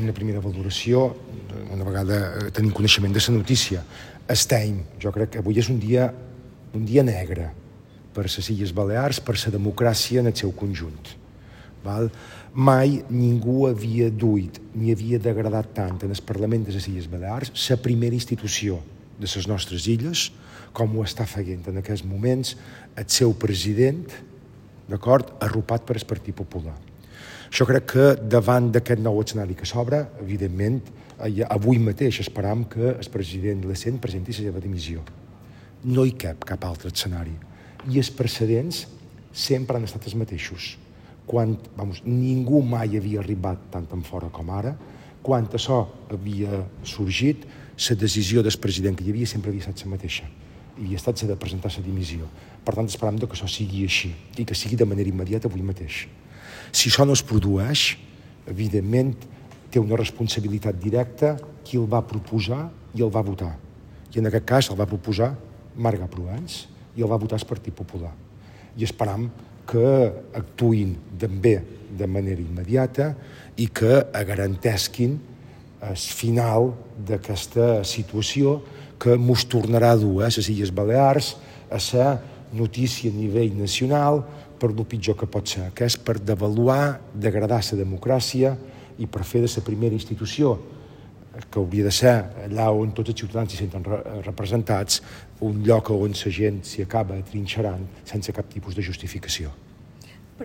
Una primera valoració, una vegada tenim coneixement de la notícia. Estem, jo crec que avui és un dia negre per les Illes Balears, per la democràcia en el seu conjunt. Mai ningú havia duit ni havia degradat tant en el Parlament de les Illes Balears, la primera institució de les nostres illes, com ho està fent en aquests moments el seu president, d'acord, arropat per el Partit Popular. Jo crec que davant d'aquest nou escenari que s'obre, evidentment, avui mateix esperam que el president Lecent presenti la seva dimissió. No hi cap altre escenari. I els precedents sempre han estat els mateixos. Ningú mai havia arribat tant en fora com ara. Quan això havia sorgit, la decisió del president que hi havia sempre havia estat la mateixa. Havia estat la de presentar la dimissió. Per tant, esperam que això sigui així i que sigui de manera immediata avui mateix. Si això no es produeix, evidentment, té una responsabilitat directa qui el va proposar i el va votar. I en aquest cas el va proposar Marga Provenç i el va votar el Partit Popular. I esperam que actuïn també de manera immediata i que garantesquin el final d'aquesta situació que ens tornarà a dur a les Illes Balears a ser notícia a nivell nacional per el pitjor que pot ser, que és per devaluar, degradar la democràcia i per fer de la primera institució, que hauria de ser allà on tots els ciutadans s'hi senten representats, un lloc on la gent s'hi acaba atrinxerant sense cap tipus de justificació.